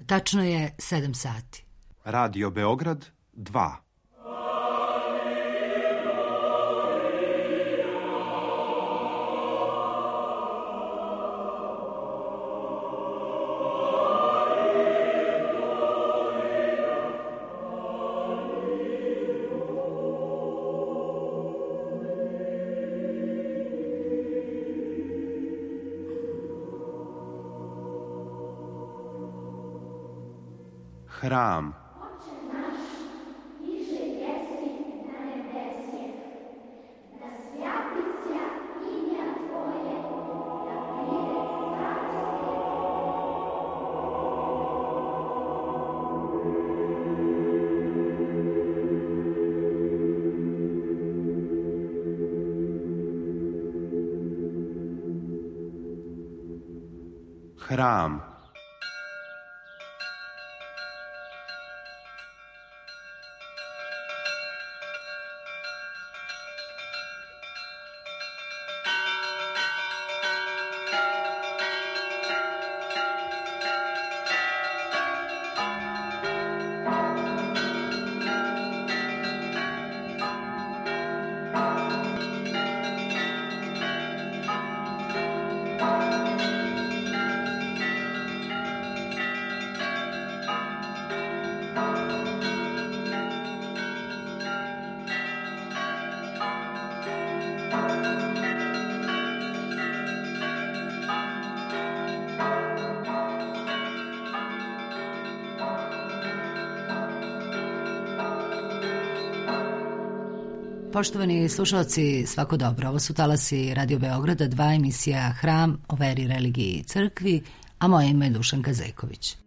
Tačno je 7 sati. Radio Beograd 2. Hram. Hram. Poštovani slušalci, svako dobro. Ovo su talasi Radio Beograda 2, emisija Hram o veri, religiji i crkvi, a moje ime je Dušanka Zeković.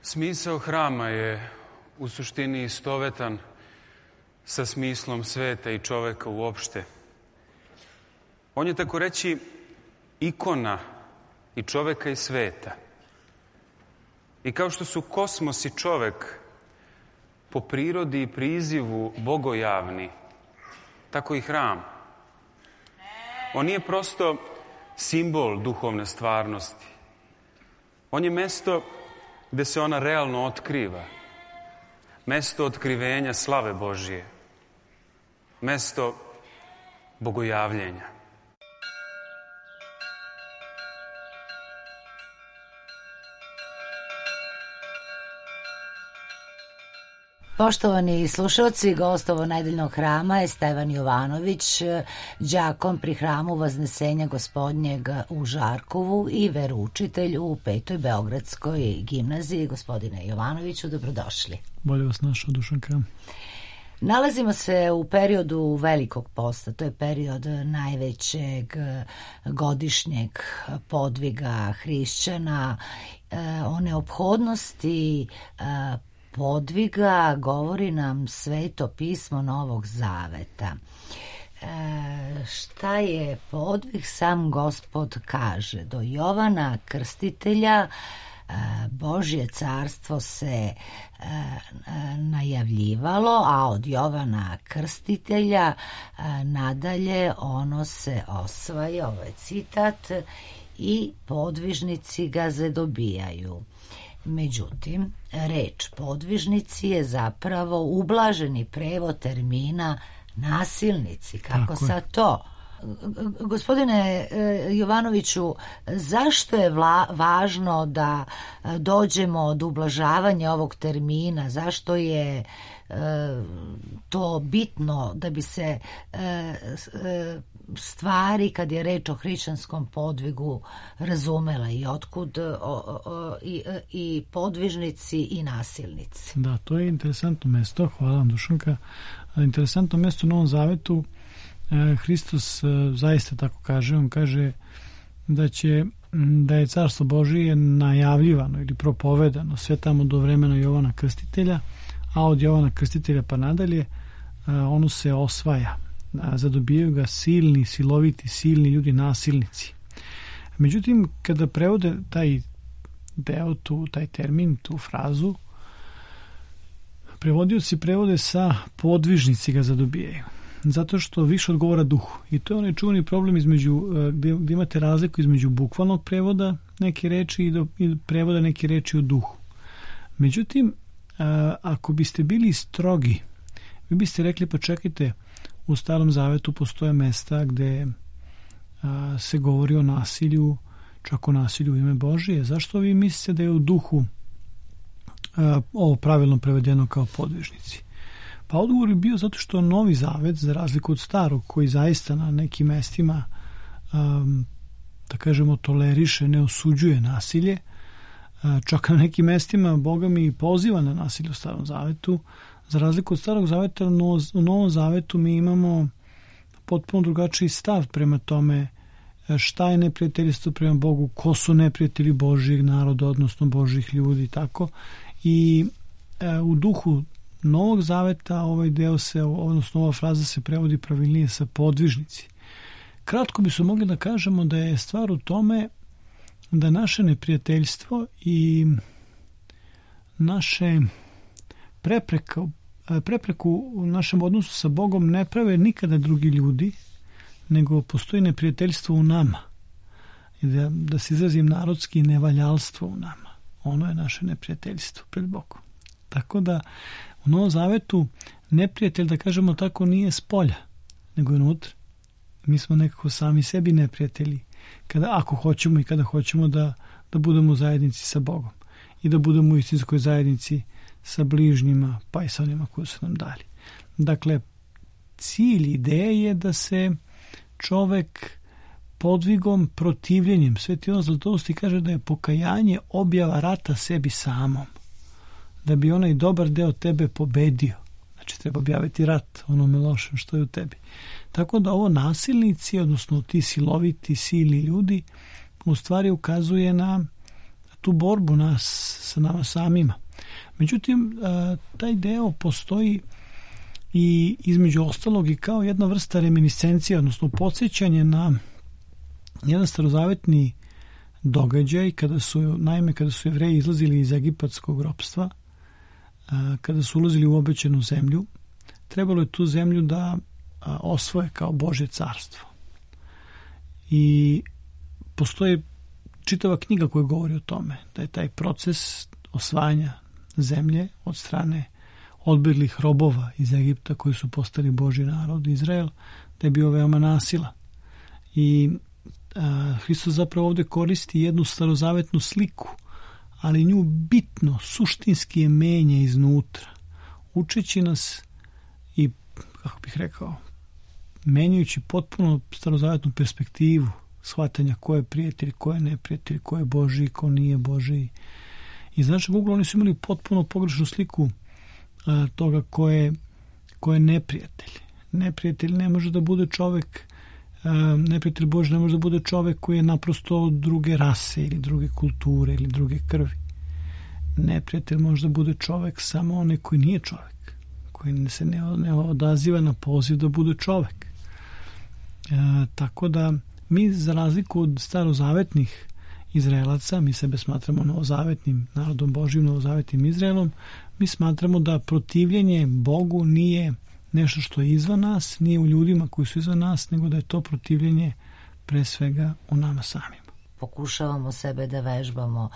Smisao hrama je u suštini istovetan sa smislom sveta i čoveka uopšte. On je, tako reći, ikona i čoveka i sveta. I kao što su kosmos i čovek po prirodi i prizivu bogojavni, tako i hram. On nije prosto simbol duhovne stvarnosti. On je mesto gde se ona realno otkriva. Mesto otkrivenja slave Božije. Mesto bogojavljenja. Poštovani slušalci, gost ovo nedeljnog hrama je Stevan Jovanović, đakon pri hramu Vaznesenja Gospodnjeg u Žarkovu i veroučitelj u 5. Beogradskoj gimnaziji. Gospodine Jovanoviću, dobrodošli. Bolje vas našao, Dušanka. Nalazimo se u periodu Velikog posta, to je period najvećeg godišnjeg podviga hrišćana. O neophodnosti podviga govori nam Sveto pismo Novog Zaveta. Šta je podvig? Sam Gospod kaže: do Jovana Krstitelja Božje carstvo se najavljivalo, a od Jovana Krstitelja nadalje ono se osvaja, ovo je citat, i podvižnici ga zadobijaju. Međutim, reč podvižnici je zapravo ublaženi prevod termina nasilnici, kako sad to? Gospodine Jovanoviću, zašto je važno da dođemo do ublažavanja ovog termina? Zašto je to bitno da bi se stvari, kad je reč o hrišćanskom podvigu, razumela i otkud i podvižnici i nasilnici? Da, to je interesantno mesto. Hvala vam, Dušanka. Interesantno mesto u Novom Zavetu. Hristos zaista tako kaže. On kaže da je Carstvo Božije najavljivano ili propovedano sve tamo do vremena Jovana Krstitelja, a od Jovana Krstitelja pa nadalje ono se osvaja. Zadobijaju ga silni, siloviti, silni ljudi, nasilnici. Međutim, kada prevode taj deo, taj termin, tu frazu, prevodioci prevode sa podvižnici ga zadobijaju. Zato što više odgovara duhu. I to je onaj čuveni problem gdje imate razliku između bukvalnog prevoda neke reči i prevoda neke reči u duhu. Međutim, ako biste bili strogi, vi biste rekli, pa čekajte, u Starom Zavetu postoje mesta gde se govori o nasilju, čak o nasilju u ime Božije. Zašto vi mislite da je u duhu ovo pravilno prevedeno kao podvižnici? Pa odgovor je bio zato što Novi Zavet, za razliku od Starog, koji zaista na nekim mestima, da kažemo, toleriše, ne osuđuje nasilje, čak na nekim mestima Boga mi poziva na nasilje u Starom Zavetu. Za razliku od Starog Zaveta, u Novom Zavetu mi imamo potpuno drugačiji stav prema tome šta je neprijateljstvo prema Bogu, ko su neprijatelji Božjeg naroda, odnosno Božjih ljudi, tako. I u duhu Novog Zaveta ovaj deo odnosno ova fraza se prevodi pravilnije sa podvižnici. Kratko bismo mogli da kažemo da je stvar u tome da naše neprijateljstvo i naše prepreku u našem odnosu sa Bogom ne prave nikada drugi ljudi, nego postoji neprijateljstvo u nama. I da se izrazim narodski, nevaljalstvo u nama. Ono je naše neprijateljstvo pred Bogom. Tako da u Novom Zavetu neprijatelj, da kažemo tako, nije s polja, nego je unutra. Mi smo nekako sami sebi neprijatelji, ako hoćemo i kada hoćemo da budemo u zajednici sa Bogom i da budemo u istinskoj zajednici sa bližnjima, pa i sa onima koji su nam dali. Dakle, cilj, ideja je da se čovek podvigom, protivljenjem, Sveti Ivan Zlatousti kaže da je pokajanje objava rata sebi samom. Da bi onaj dobar deo tebe pobedio. Znači, treba objaviti rat onome lošem što je u tebi. Tako da ovo nasilnici, odnosno ti siloviti, silni ljudi, u stvari ukazuje na tu borbu nas sa nama samima. Međutim, taj deo postoji i između ostalog i kao jedna vrsta reminiscencija, odnosno podsjećanje na jedan starozavetni događaj kada su Jevreji izlazili iz egipatskog ropstva, kada su ulazili u obećanu zemlju, trebalo je tu zemlju da osvoje kao Božje carstvo. I postoji čitava knjiga koja govori o tome, da je taj proces osvajanja zemlje od strane odbjeglih robova iz Egipta koji su postali Božji narod, Izrael, da je bio veoma nasilan. I Hristos zapravo ovdje koristi jednu starozavetnu sliku, ali nju bitno, suštinski je menja iznutra, učeći nas i, kako bih rekao, menjajući potpuno starozavetnu perspektivu shvatanja ko je prijatelj, ko je neprijatelj, ko je Božji, ko nije Božji. I znači, Google, oni su imali potpuno pogrešnu sliku toga ko je neprijatelj. Neprijatelj ne može da bude čovek, neprijatelj Božji ne može da bude čovek koji je naprosto druge rase ili druge kulture ili druge krvi. Neprijatelj može da bude čovek samo onaj koji nije čovek, koji se ne odaziva na poziv da bude čovek. Tako da mi, za razliku od starozavetnih Izraelaca, mi sebe smatramo novozavetnim narodom Božjim, novozavetnim Izraelom, mi smatramo da protivljenje Bogu nije nešto što je izvan nas, nije u ljudima koji su izvan nas, nego da je to protivljenje pre svega u nama samima. pokušavamo sebe da vežbamo,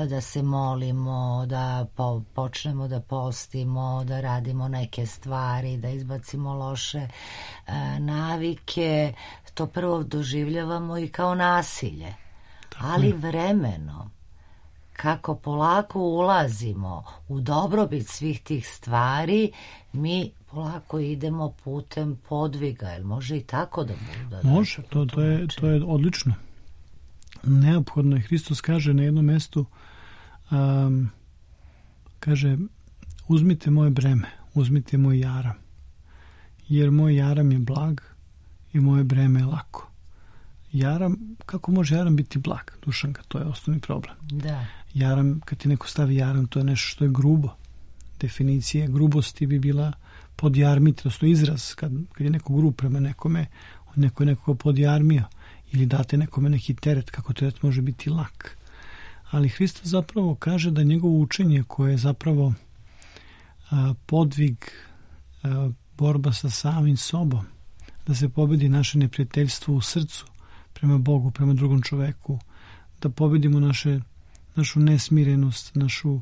da se molimo, da počnemo da postimo, da radimo neke stvari, da izbacimo loše navike, to prvo doživljavamo i kao nasilje. Ali vremenom, kako polako ulazimo u dobrobit svih tih stvari, mi polako idemo putem podviga. Jel može i tako da bude? Može, to je odlično. Neophodno je. Hristos kaže na jednom mestu, kaže, uzmite moje breme, uzmite moj jaram, jer moj jaram je blag i moje breme je lako. Jaram, kako može jaram biti blag, Dušanka? To je osnovni problem. Da. Jaram, kad ti neko stavi jaram, to je nešto što je grubo. Definicija grubosti bi bila podjarmiti, odnosno izraz, kad je neko grub prema nekome, neko je nekoga podjarmio, ili date nekome neki teret, kako teret može biti lak. Ali Hristos zapravo kaže da njegovo učenje, koje je zapravo podvig, borba sa samim sobom, da se pobedi naše neprijateljstvo u srcu prema Bogu, prema drugom čoveku, da pobedimo našu nesmirenost, našu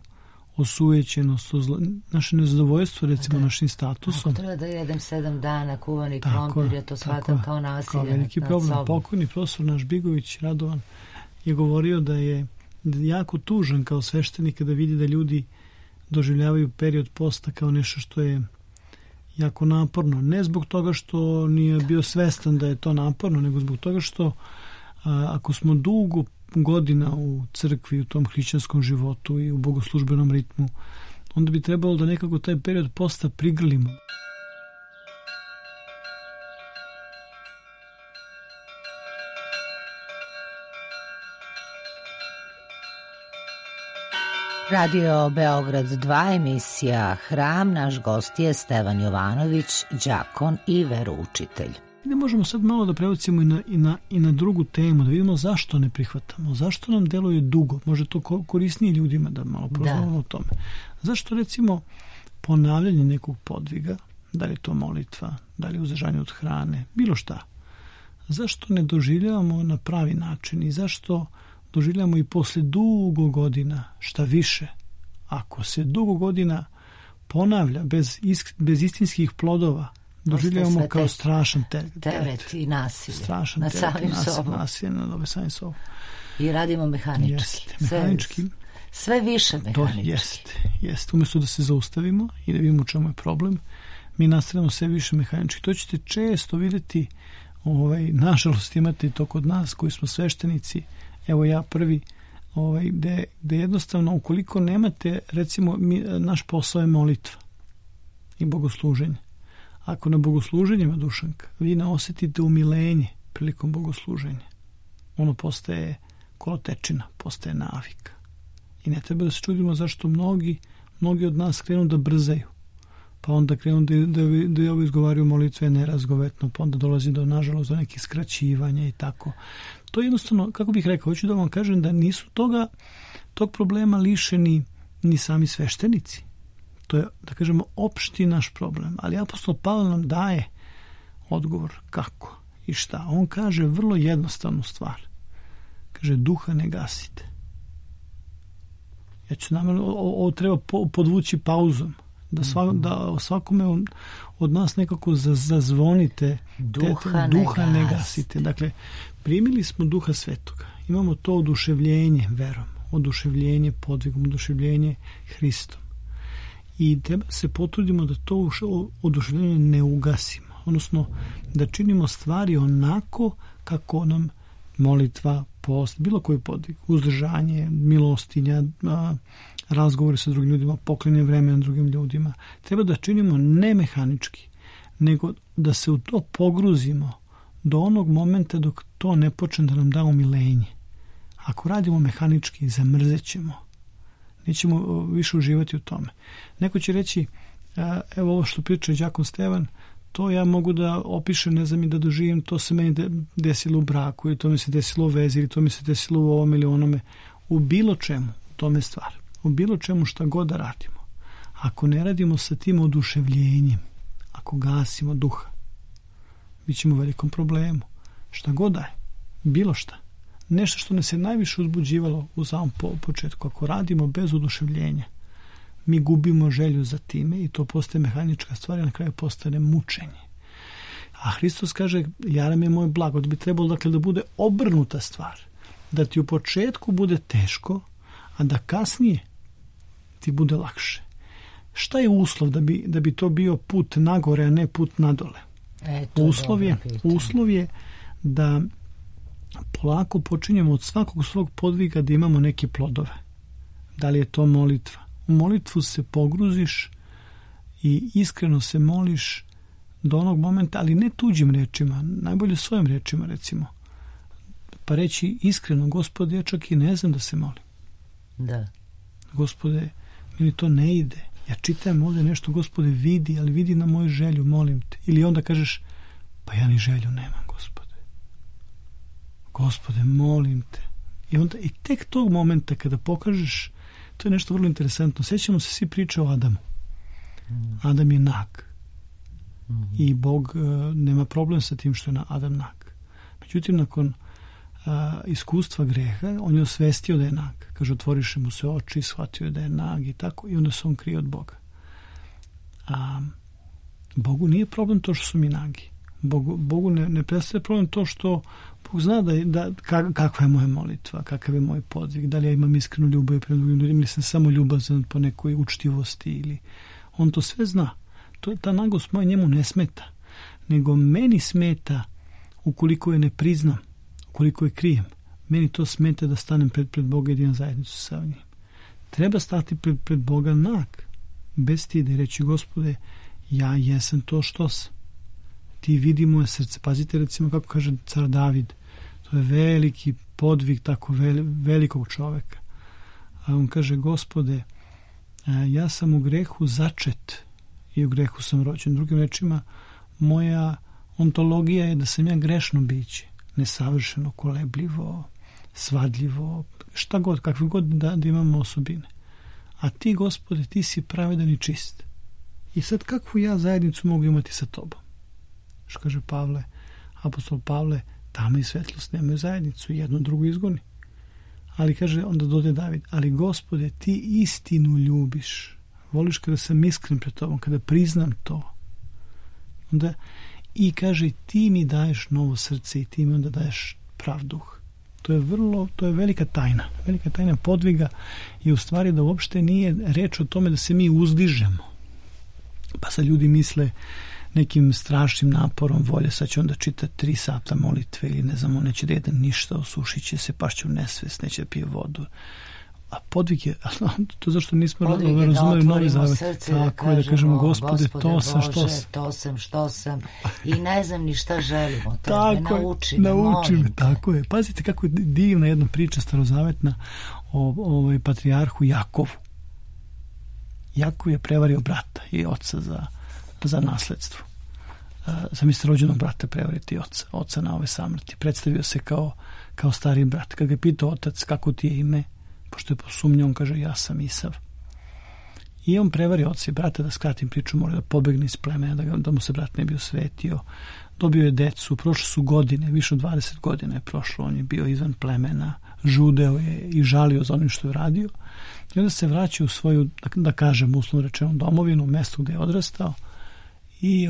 osujećenost, naše nezadovoljstvo, recimo, našim statusom. Ako treba da jedem 7 dana kuvani krompir, ja to shvatam kao nasilje. Kao veliki problem. Pokojni profesor naš Bigović Radovan je govorio da je jako tužan kao sveštenik kada vidi da ljudi doživljavaju period posta kao nešto što je jako naporno. Ne zbog toga što nije bio svestan da je to naporno, nego zbog toga što ako smo dugo godina u crkvi, u tom hrišćanskom životu i u bogoslužbenom ritmu, onda bi trebalo da nekako taj period posta prigrlimo. Radio Beograd 2, emisija Hram, naš gost je Stevan Jovanović, đakon i veroučitelj. Ne možemo sad malo da prebacimo i na drugu temu, da vidimo zašto ne prihvatamo, zašto nam deluje dugo, može to korisnije ljudima da malo prozvamo o tome. Zašto recimo ponavljanje nekog podviga, da li je to molitva, da li je uzdržanje od hrane, bilo šta, zašto ne doživljavamo na pravi način i zašto doživljamo i posle dugo godina, šta više, ako se dugo godina ponavlja bez istinskih plodova, doživljavamo kao strašan teret i nasilje strašan na teret, samim sobom. Nasilje nad samim sobom. I radimo mehanički. Mehanički. Sve više mehanički. Jeste. Umjesto da se zaustavimo i da vidimo u čemu je problem, mi nastavljamo sve više mehanički. To ćete često vidjeti, nažalost imate to kod nas koji smo sveštenici, evo ja prvi, gde jednostavno ukoliko nemate, recimo naš posao je molitva i bogosluženje. Ako na bogosluženjima, Dušanka, vi ne osjetite umilenje prilikom bogosluženja, ono postaje kolotečina, postaje navika. I ne treba da se čudimo zašto mnogi od nas krenu da brzaju, pa onda krenu da ovo izgovaraju molitve nerazgovetno, pa onda dolazi nažalost do nekih skraćivanja i tako. To je jednostavno, kako bih rekao, hoću da vam kažem da nisu tog problema lišeni ni sami sveštenici. To je, da kažemo, opšti naš problem. Ali apostol Pavle nam daje odgovor kako i šta. On kaže vrlo jednostavnu stvar. Kaže, duha ne gasite. Ja ću namjerno, ovo treba podvući pauzom. Da svakome od nas nekako zazvonite. Duha ne gasite. Dakle, primili smo Duha Svetoga. Imamo to oduševljenje verom, oduševljenje podvigom, oduševljenje Hristom. I treba se potrudimo da to oduševljenje ne ugasimo. Odnosno, da činimo stvari onako kako nam molitva, post, bilo koji podvig, uzdržanje, milostinja, razgovori sa drugim ljudima, poklanjanje vremena drugim ljudima. Treba da činimo ne mehanički, nego da se u to pogruzimo do onog momenta dok to ne počne da nam da umilenje. Ako radimo mehanički, zamrzećemo. Nećemo više uživati u tome. Neko će reći, evo ovo što priča đakon Stevan, to ja mogu da opišem, ne znam i da doživim, to se meni desilo u braku, ili to mi se desilo u vezi, ili to mi se desilo u ovom ili onome. U bilo čemu, u tome stvar. U bilo čemu šta god da radimo. Ako ne radimo sa tim oduševljenjem, ako gasimo duha, bit ćemo u velikom problemu. Šta god da je, bilo šta. nešto što nas je najviše uzbuđivalo u samom početku. Ako radimo bez oduševljenja, mi gubimo želju za time i to postaje mehanička stvar i na kraju postane mučenje. A Hristos kaže, jaram je moj blago, da bi trebalo dakle da bude obrnuta stvar. Da ti u početku bude teško, a da kasnije ti bude lakše. Šta je uslov da bi to bio put nagore, a ne put nadole? Uslov je da polako počinjemo od svakog svog podviga da imamo neke plodove. Da li je to molitva? U molitvu se pogruziš i iskreno se moliš do onog momenta, ali ne tuđim rečima, najbolje svojim rečima recimo. Pa reći iskreno, Gospode, ja čak i ne znam da se molim. Da. Gospode, meni to ne ide. Ja čitam ovdje nešto, Gospode, vidi, ali vidi na moju želju, molim te. Ili onda kažeš, pa ja ni želju nemam, Gospode. Gospode, molim te. I tek tog momenta kada pokažeš, to je nešto vrlo interesantno. Sjećamo se svi priče o Adamu. Adam je nag. I Bog nema problem sa tim što je Adam nag. Međutim, nakon iskustva greha, on je osvestio da je nag. Kaže, otvoriše mu se oči, shvatio je da je nag i tako, i onda se on krije od Boga. A Bogu nije problem to što su mi nagi. Bogu ne predstavlja problem to što Bog zna kakva je moja molitva, kakav je moj podvig, da li ja imam iskrenu ljubav prema drugim ljudima ili sam samo ljubazan po nekoj učtivosti, ili on to sve zna. Ta nagost moja njemu ne smeta, nego meni smeta ukoliko je ne priznam, ukoliko je krijem. Meni to smeta da stanem pred Boga i da imam zajednicu sa njim. Treba stati pred Boga nag, bez stida i reći, Gospode, ja jesam to što sam. Ti vidi moje srce. Pazite recimo kako kaže car David, to je veliki podvig tako velikog čoveka. A on kaže, Gospode, ja sam u grehu začet i u grehu sam rođen. Drugim rečima, moja ontologija je da sam ja grešno biće, nesavršeno, kolebljivo, svadljivo, šta god, kakve god da imamo osobine. A ti, Gospode, ti si pravedan i čist. I sad kakvu ja zajednicu mogu imati sa tobom? Što kaže Pavle, apostol Pavle, tama i svetlost nemaju zajednicu, jedno drugo izgoni. Ali kaže, onda dode David, ali Gospode, ti istinu ljubiš. Voliš kada sam iskren pred tobom, kada priznam to. Onda, i kaže, ti mi daješ novo srce i ti mi onda daješ prav duh. To je velika tajna. Velika tajna podviga je u stvari da uopšte nije reč o tome da se mi uzdižemo. Pa sad ljudi misle nekim strašnim naporom volje, sad će onda čitati 3 sata molitve ili ne znam, on neće da jede ništa, osušit će se, pašće u nesvest, neće da pije vodu. A podvig je, to zašto nismo razumeli Novi Zavet. Tako je, da kažemo, Gospode, to sam, što sam. To sam, što sam. I ne znam ni šta želimo. Nauči me, tako je. Pazite kako je divna jedna priča starozavetna o patrijarhu Jakovu. Jakov je prevario brata i oca za nasledstvo. Zamislite rođenog brata prevariti oca na ove samrti. Predstavio se kao stari brat. Kad ga je pitao otac kako ti je ime, pošto je posumnjao, on kaže, ja sam Isav. I on prevari oca i brata, da skratim priču, mora da pobegne iz plemena, da mu se brat ne bi osvetio. Dobio je decu, prošle su godine, više od 20 godina je prošlo, on je bio izvan plemena, žudeo je i žalio za onim što je radio. I onda se vraća u svoju, da kažem, uslovno rečeno, domovinu, mesto gde je odrastao, i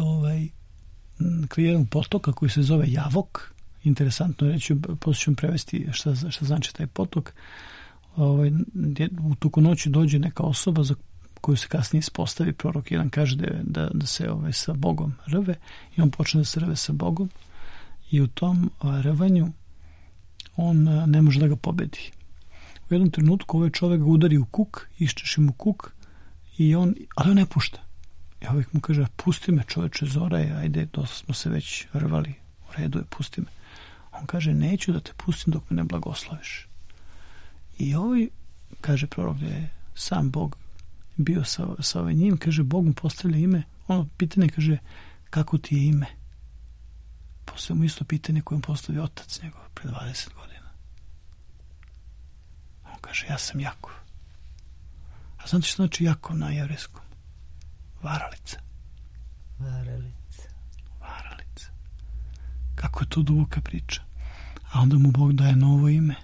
kraj jednog potoka koji se zove Javok. Interesantno je reći, poslije ću vam prevesti šta znači taj potok. U toku noći dođe neka osoba za koju se kasnije ispostavi, prorok jedan kaže da se sa Bogom rve, i on počne da se rve sa Bogom, i u tom rvanju on ne može da ga pobedi. U jednom trenutku ovaj čovjek ga udari u kuk, iščeši mu kuk, ali on ne pušta. I ovih mu kaže, pusti me čoveče, zora je, ajde, dosta smo se već rvali, u redu je, pusti me. On kaže, neću da te pustim dok me ne blagosloviš. I kaže prorok, da je sam Bog bio sa njim, kaže, Bog mu postavlja ime, ono pitanje kaže, kako ti je ime? Postavlja mu isto pitanje koje mu postavio otac njegov pred 20 godina. On kaže, ja sam Jakov. A znate što znači Jakov na jevrejskom? Varalica. Kako je to duboka priča. a onda mu Bog daje novo ime,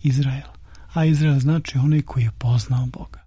Izrael. A Izrael znači onaj koji je poznao Boga.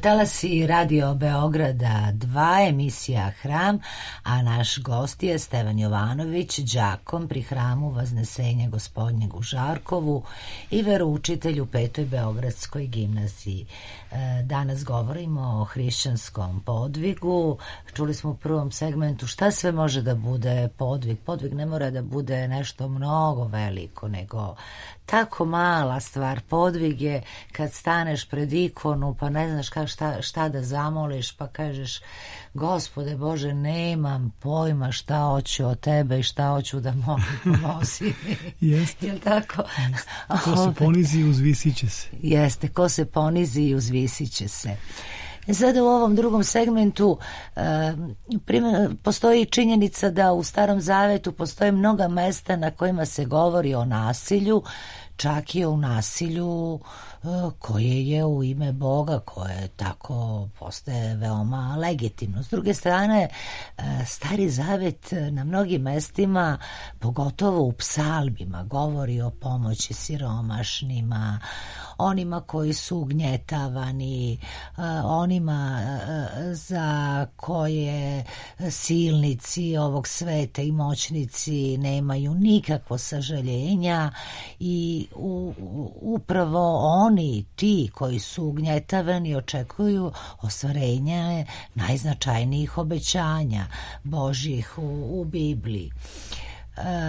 Talasi Radio Beograda 2, emisija Hram, a naš gost je Stevan Jovanović, đakom pri hramu Vaznesenja Gospodnjeg u Žarkovu i veroučitelj u 5. Beogradskoj gimnaziji. Danas govorimo o hrišćanskom podvigu. Čuli smo u prvom segmentu šta sve može da bude podvig. Podvig ne mora da bude nešto mnogo veliko, nego tako mala stvar. Podvig je kad staneš pred ikonu pa ne znaš šta da zamoliš, pa kažeš: Gospode Bože, nemam pojma šta hoću od tebe i šta hoću da molim, pomozi mi. Jeste. Jel tako? Ko se ponizi, uzvisit će se. Jeste, ko se ponizi i uzvisit će se. Sada u ovom drugom segmentu postoji činjenica da u Starom Zavetu postoje mnoga mesta na kojima se govori o nasilju, čak i o nasilju koje je u ime Boga, koje tako postaje veoma legitimno. S druge strane, Stari Zavet na mnogim mestima, pogotovo u psalmima, govori o pomoći siromašnima, onima koji su ugnjetavani, onima za koje silnici ovog sveta i moćnici nemaju nikakvo sažaljenja i upravo oni, ti koji su ugnjetavani, očekuju ostvarenja najznačajnijih obećanja Božjih u Bibliji.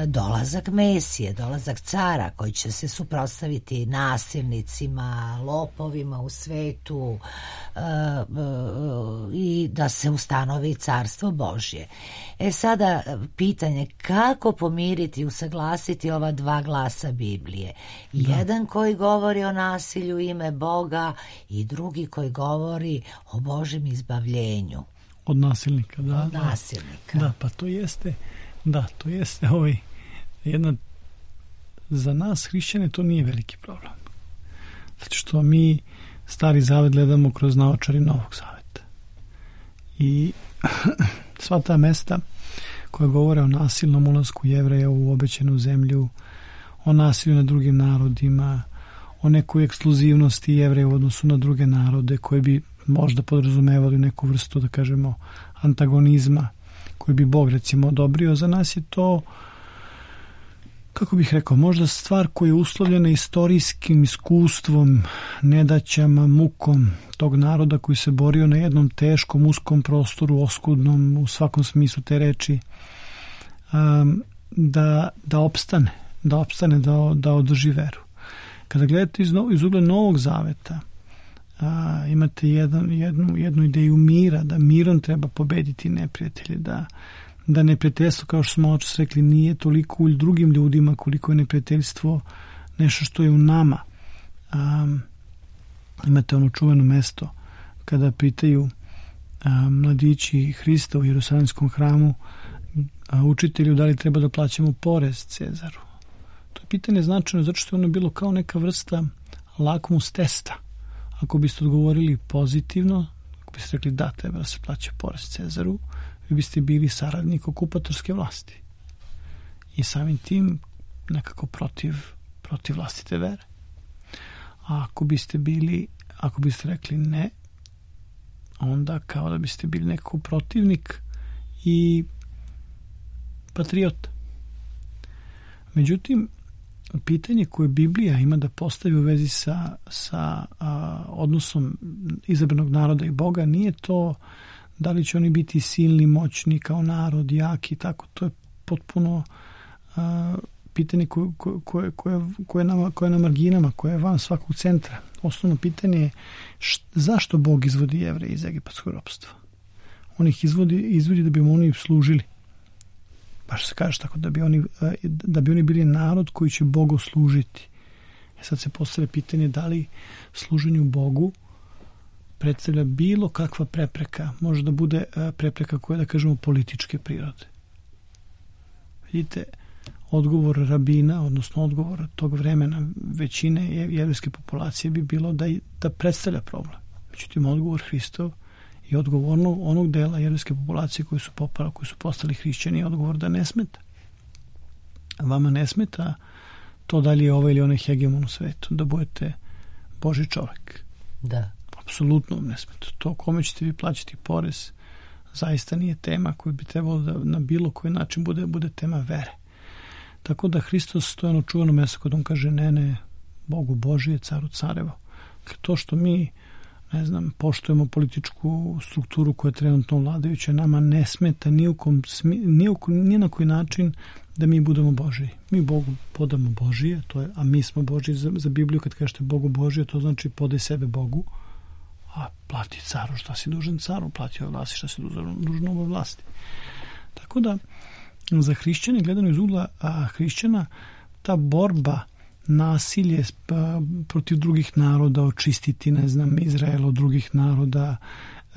Dolazak Mesije, dolazak cara koji će se suprotstaviti nasilnicima, lopovima u svetu i da se ustanovi carstvo Božje. Sada pitanje, kako pomiriti i usaglasiti ova dva glasa Biblije? Jedan koji govori o nasilju ime Boga i drugi koji govori o Božjem izbavljenju. Od nasilnika, da. Od nasilnika. Da, pa to jeste... Da, to jeste jedna, za nas hrišćane to nije veliki problem. Zato što mi Stari Zavet gledamo kroz naočari Novog Zaveta. I sva ta mesta koja govore o nasilnom ulasku Jevreja u obećanu zemlju, o nasilju na drugim narodima, o nekoj ekskluzivnosti Jevreja u odnosu na druge narode koje bi možda podrazumevali neku vrstu, da kažemo, antagonizma koji bi Bog recimo odobrio, za nas je to, kako bih rekao, možda stvar koja je uslovljena istorijskim iskustvom, nedaćama, mukom tog naroda koji se borio na jednom teškom, uskom prostoru, oskudnom u svakom smislu te reči, da opstane, da održi veru. Kada gledate iz ugla Novog Zaveta, imate jednu ideju mira, da mirom treba pobediti neprijatelje, da neprijateljstvo, kao što smo očas rekli, nije toliko u drugim ljudima koliko je neprijateljstvo nešto što je u nama. Imate ono čuveno mesto kada pitaju mladići Hrista u Jerusalimskom hramu učitelju da li treba da plaćamo porez Cezaru. To je pitanje značajno zato što je ono bilo kao neka vrsta lakmus testa. Ako biste odgovorili pozitivno, ako biste rekli da treba da se plaća porez Cezaru, vi biste bili saradnik okupatorske vlasti i samim tim nekako protiv vlastite vere. A ako biste rekli ne, onda kao da biste bili nekako protivnik i patriot. Međutim, pitanje koje Biblija ima da postavi u vezi sa odnosom izabranog naroda i Boga nije to da li će oni biti silni, moćni kao narod, jaki, tako. To je potpuno pitanje koje je na marginama, koje je van svakog centra. Osnovno pitanje je zašto Bog izvodi Jevreje iz egipatskog ropstva? On ih izvodi da bi mu oni služili. Baš se kaže tako, da bi oni bili narod koji će Bogu služiti. Sad se postavlja pitanje da li služenju Bogu predstavlja bilo kakva prepreka, može da bude prepreka koja, da kažemo, političke prirode. Vidite, odgovor rabina, odnosno odgovor tog vremena većine jevrejske populacije bi bilo da predstavlja problem. Međutim, odgovor Hristov i odgovor onog dela jevrejske populacije koji su postali hrišćani je odgovor da ne smeta. Vama ne smeta to da li je ovaj ili onaj hegemon u svetu, da budete Božji čovjek. Da. Apsolutno vam ne smeta. To kome ćete vi plaćati porez zaista nije tema koju bi trebalo da na bilo koji način bude tema vere. Tako da Hristos stoji ono čuveno mjesto kod on kaže ne, Bogu Božije, caru carevo. To što mi, ne znam, poštujemo političku strukturu koja je trenutno vladajuća, nama ne smeta ni na koji način da mi budemo Božiji. Mi Bogu podamo Božije, a mi smo Božiji. Za Bibliju kad kažete Bogu Božije, to znači podaj sebe Bogu, a plati caru šta si dužan caru, plati ovoj vlasti šta si dužan ovoj vlasti. Tako da za hrišćane, gledano iz ugla hrišćana, ta borba, nasilje protiv drugih naroda, očistiti, ne znam, Izrael od drugih naroda,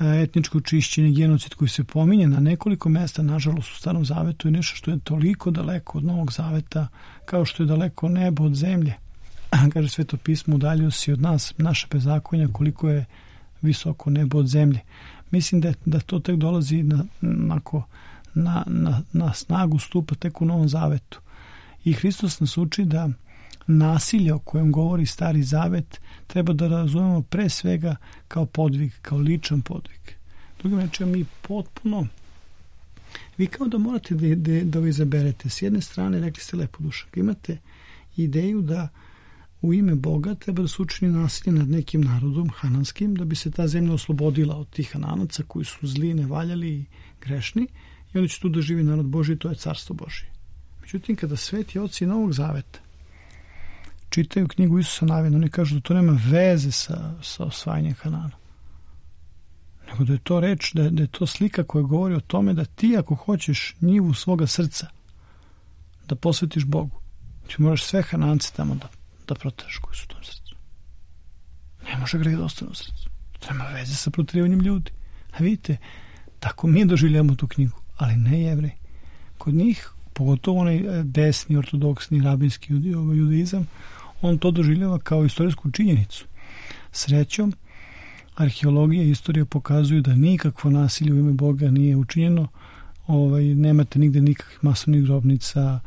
etničko čišćenje, genocid koji se pominje na nekoliko mesta, nažalost u Starom Zavetu, je nešto što je toliko daleko od Novog Zaveta kao što je daleko nebo od zemlje. Kaže Sveto pismo, udaljio si od nas, naše bezakonja, koliko je visoko nebo od zemlje. Mislim da to tek dolazi na snagu stupa tek u Novom Zavetu. I Hristos nas uči da nasilje o kojem govori Stari Zavet treba da razumemo pre svega kao podvig, kao ličan podvig. Drugim rečima, mi potpuno, vi kao da morate da vi izaberete. S jedne strane, rekli ste lepo, Dušak, imate ideju da u ime Boga treba da se učini nasilje nad nekim narodom hananskim, da bi se ta zemlja oslobodila od tih Hananaca koji su zli, nevaljali i grešni, i onda će tu da živi narod Božji, to je carstvo Božje. Međutim, kada sveti oci Novog Zaveta čitaju knjigu Isusa Navina, oni kažu da to nema veze sa osvajanjem Hanana. Nego da je to reč, da je to slika koja govori o tome da ti ako hoćeš njivu svoga srca da posvetiš Bogu, ti moraš sve Hanance tamo da proteraš koji su u tom srcu. Ne može greh da ostane u srcu. To nema veze sa protjerivanjem ljudi. A vidite, tako mi doživljamo tu knjigu, ali ne Jevreji. Kod njih, pogotovo onaj desni, ortodoksni, rabinski judaizam, on to doživljava kao istorijsku činjenicu. Srećom, arheologija i istorija pokazuju da nikakvo nasilje u ime Boga nije učinjeno. Nemate nigde nikakvih masovnih grobnica.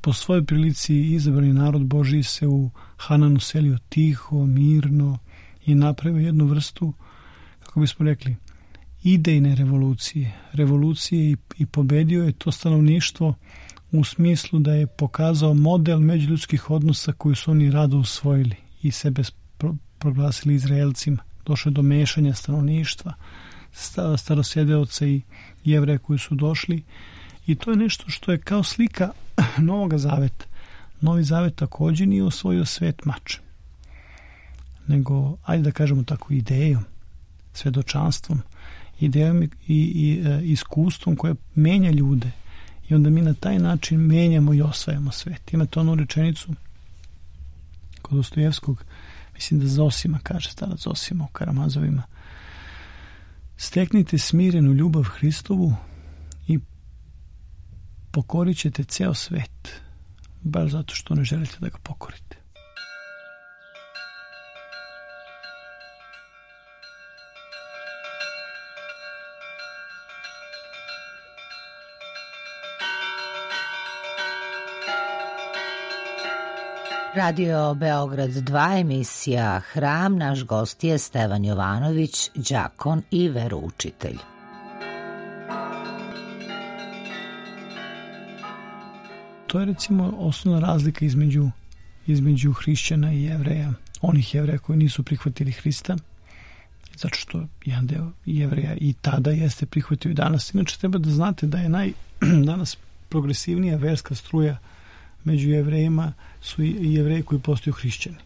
Po svojoj prilici izabrani narod Božiji se u Hananu selio tiho, mirno i napravio jednu vrstu, kako bismo rekli, idejne revolucije i pobedio je to stanovništvo u smislu da je pokazao model međuljudskih odnosa koji su oni rado usvojili i sebe proglasili Izraelcima. Došlo je do mešanja stanovništva, starosjedeoca i Jevreja koji su došli, i to je nešto što je kao slika Novog Zaveta. Novi Zavet također nije osvojio svet mačem, nego, ajde da kažemo tako, idejom, svedočanstvom, idejom i iskustvom koje menja ljude, i onda mi na taj način menjamo i osvajamo svet. Imate onu rečenicu kod Dostojevskog, mislim da Zosima kaže, starac Zosima u Karamazovima, steknite smirenu ljubav Hristovu i pokorit ćete ceo svet, baš zato što ne želite da ga pokorite. Radio Beograd 2, emisija Hram, naš gost je Stevan Jovanović, đakon i veroučitelj. To je recimo osnovna razlika između hrišćana i Jevreja, onih Jevreja koji nisu prihvatili Hrista, zato što jedan deo Jevreja i tada jeste prihvatio i danas. Inače treba da znate da je danas progresivnija verska struja među Jevrejima su i Jevreji koji postaju hrišćani.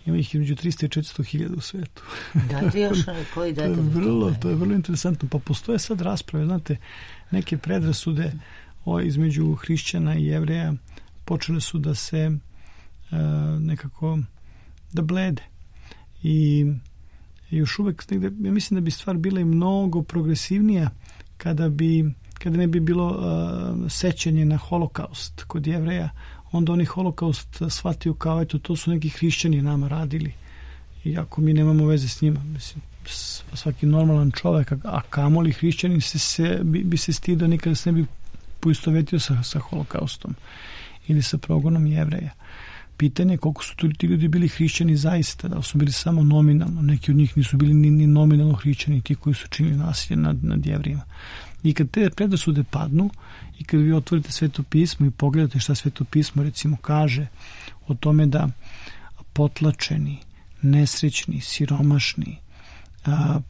Ima ih između 300 i 400 hiljada u svetu. Dajte još koji date to je vrlo interesantno. Pa postoje sad rasprave, znate, neke predrasude između hrišćana i Jevreja počele su da se nekako da blede. I još uvek negde, ja mislim da bi stvar bila i mnogo progresivnija kada ne bi bilo sećanje na holokaust kod Jevreja, onda oni holokaust shvatio kao eto to su neki hrišćani nama radili, iako mi nemamo veze s njima. Mislim, svaki normalan čovjek, a kamoli hrišćanin bi se stidio, nikada se ne bi poistovetio sa holokaustom ili sa progonom Jevreja. Pitanje je koliko su ti ljudi bili hrišćani zaista, da su bili samo nominalno, neki od njih nisu bili ni nominalno hrišćani, ti koji su činili nasilje nad Jevrejima. I kad te predrasude padnu i kad vi otvorite Sveto pismo i pogledate šta Sveto pismo recimo kaže o tome da potlačeni, nesrećni, siromašni,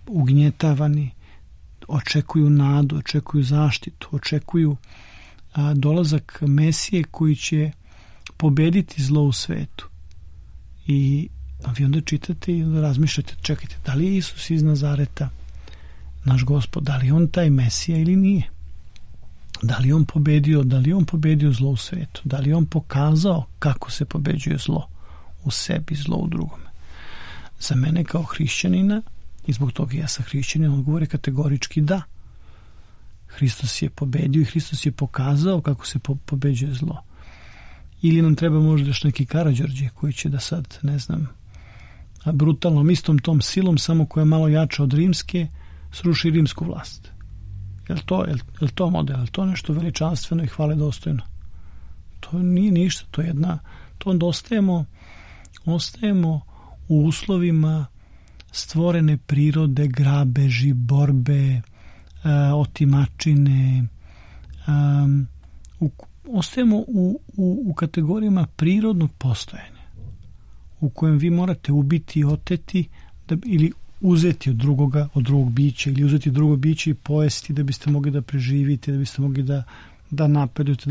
ugnjetavani očekuju nadu, očekuju zaštitu, očekuju dolazak Mesije koji će pobediti zlo u svetu. I vi onda čitate i razmišljate, čekajte, da li je Isus iz Nazareta naš Gospod, da li je on taj Mesija ili nije? Da li je on pobedio zlo u svetu? Da li je on pokazao kako se pobeđuje zlo u sebi, zlo u drugome? Za mene kao hrišćanina, i zbog toga ja sam hrišćanin, odgovor je kategorički da. Hristos je pobedio i Hristos je pokazao kako se pobeđuje zlo. Ili nam treba možda još neki Karađorđe koji će da sad, ne znam, brutalnom istom tom silom, samo koja je malo jača od rimske, sruši rimsku vlast. Je li to model? Je li to nešto veličanstveno i hvale dostojno? To nije ništa. To onda ostajemo u uslovima stvorene prirode, grabeži, borbe, otimačine. Ostajemo u kategorijama prirodnog postojanja u kojem vi morate ubiti i oteti ili uzeti od drugog bića ili uzeti drugo biće i pojesti da biste mogli da preživite, da biste mogli da napredujete,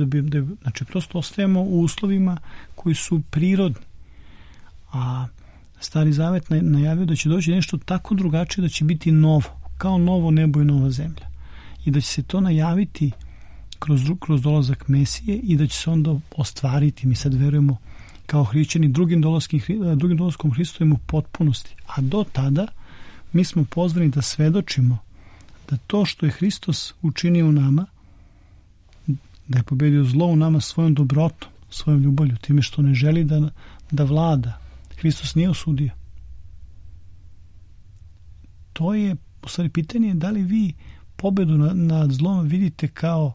znači prosto ostajemo u uslovima koji su prirodni. A Stari Zavet najavio da će doći nešto tako drugačije, da će biti novo, kao novo nebo i nova zemlja. I da će se to najaviti kroz dolazak Mesije i da će se onda ostvariti. Mi sad verujemo kao hrišćani drugim dolaskom Hristovim u potpunosti. A do tada mi smo pozvani da svedočimo da to što je Hristos učinio u nama, da je pobedio zlo u nama svojom dobrotom, svojom ljubavlju, time što ne želi da vlada. Hristos nije osudio. To je, u stvari, pitanje da li vi pobedu nad zlom vidite kao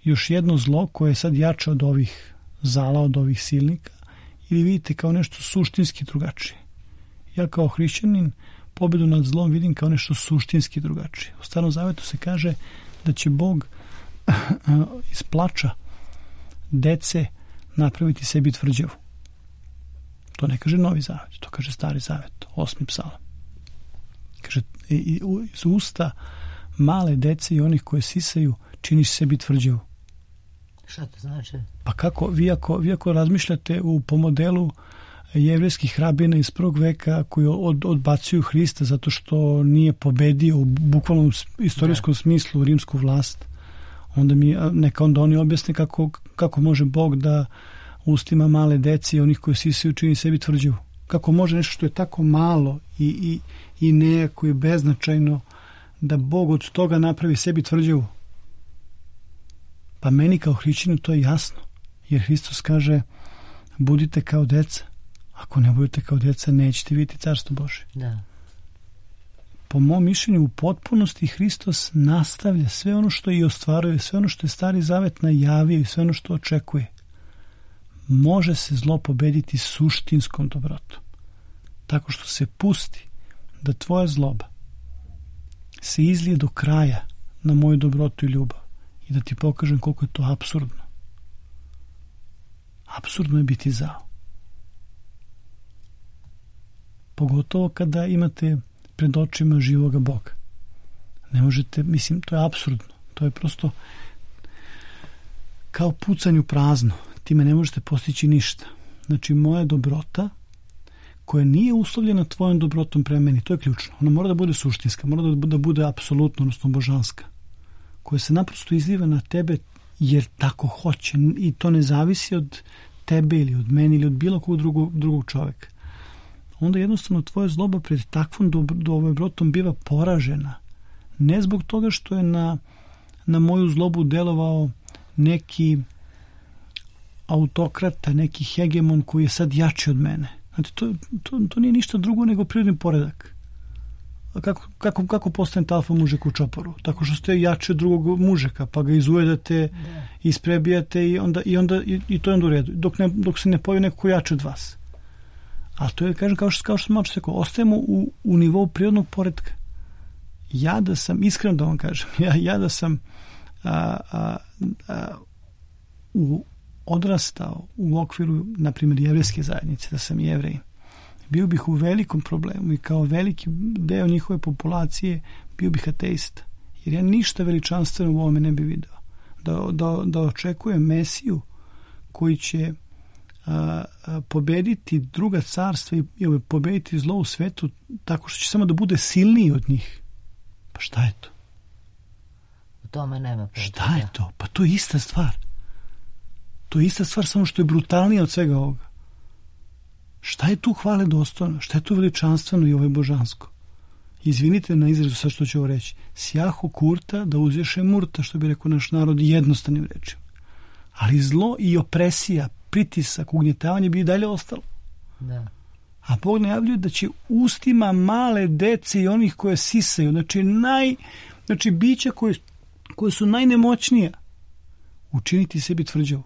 još jedno zlo koje je sad jače od ovih zala, od ovih silnika, ili vidite kao nešto suštinski drugačije. Ja kao hrišćanin pobedu nad zlom vidim kao nešto suštinski drugačije. U Starom Zavetu se kaže da će Bog iz plača dece napraviti sebi tvrđavu. To ne kaže Novi Zavet, to kaže Stari Zavet, 8. psalam. Kaže, iz usta male dece i onih koje sisaju činiš sebi tvrđavu. Šta to znači? Pa kako, vi ako razmišljate po modelu jevrejskih rabina iz prvog veka koji odbacuju Hrista zato što nije pobedio u bukvalnom istorijskom smislu rimsku vlast, onda oni objasne kako može Bog da ustima male dece i onih koji sisaju čini sebi tvrđavu. Kako može nešto što je tako malo i nejako i beznačajno da Bog od toga napravi sebi tvrđavu? Pa meni kao hrišćaninu to je jasno, jer Hristos kaže budite kao deca. Ako ne budete kao deca, nećete vidjeti carstvo Božje. Da. Po mom mišljenju, u potpunosti Hristos nastavlja sve ono što i ostvaruje, sve ono što je Stari Zavet najavio i sve ono što očekuje. Može se zlo pobediti suštinskom dobrotom. Tako što se pusti da tvoja zloba se izlije do kraja na moju dobrotu i ljubav i da ti pokažem koliko je to apsurdno. Apsurdno je biti zao. Pogotovo kada imate pred očima živoga Boga. Ne možete, mislim, to je apsurdno. To je prosto kao pucanju prazno. Time ne možete postići ništa. Znači, moja dobrota, koja nije uslovljena tvojom dobrotom prema meni, to je ključno. Ona mora da bude suštinska, mora da bude apsolutno, odnosno božanska, koja se naprosto izliva na tebe jer tako hoće i to ne zavisi od tebe ili od meni ili od bilo kog drugog čoveka. Onda jednostavno tvoja zloba pred takvom dobrotom biva poražena. Ne zbog toga što je na moju zlobu delovao neki autokrata, neki hegemon koji je sad jači od mene. Znači, to nije ništa drugo nego prirodni poredak. Kako postane alfa mužek u čoporu? Tako što ste jači od drugog mužeka, pa ga izujedate, isprebijate i to je onda u redu. Dok se ne pojavi neko ko jači od vas. A to je, kažem, kao što sam malo rekao, ostajemo u nivou prirodnog poretka. Ja da sam, iskreno da vam kažem, ja da sam odrastao u okviru, na primjer, jevrejske zajednice, da sam Jevrej, bio bih u velikom problemu i kao veliki deo njihove populacije bio bih ateista. Jer ja ništa veličanstveno u ovome ne bi video. Da očekujem Mesiju koji će pobediti druga carstva i pobediti zlo u svetu tako što će samo da bude silniji od njih. Pa šta je to? U tome nema potrebe. Šta je to? Pa to je ista stvar. To je ista stvar, samo što je brutalnija od svega ovoga. Šta je tu hvale dostojno? Šta je tu veličanstveno i ovo je božansko? Izvinite na izrazu sad što ću ovo reći. Sjahu kurta da uzješe murta, što bi rekao naš narod jednostavnim rečima. Ali zlo i opresija, pritisak, ugnjetavanje bi i dalje ostalo. Da. A Bog najavljuje da će ustima male dece i onih koje sisaju, znači bića koje su najnemoćnija, učiniti sebi tvrđavu.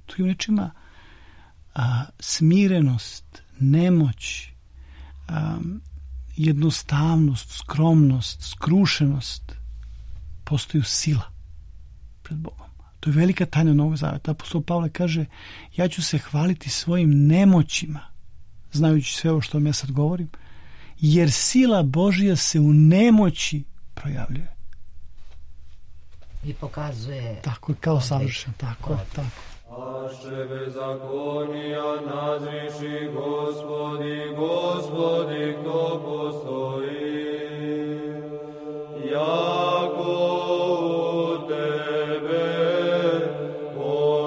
To je u nečima smirenost, nemoć, jednostavnost, skromnost, skrušenost postaju sila pred Bogom. To je velika tajna Novog Zaveta. Apostol Pavle kaže, ja ću se hvaliti svojim nemoćima, znajući sve ovo što vam ja sad govorim, jer sila Božja se u nemoći projavljuje. I pokazuje... Tako je, kao savršen. Tako je, tako. Aše bezakonija nazriši Gospodi, kto postoji, jako u tebe očišćenije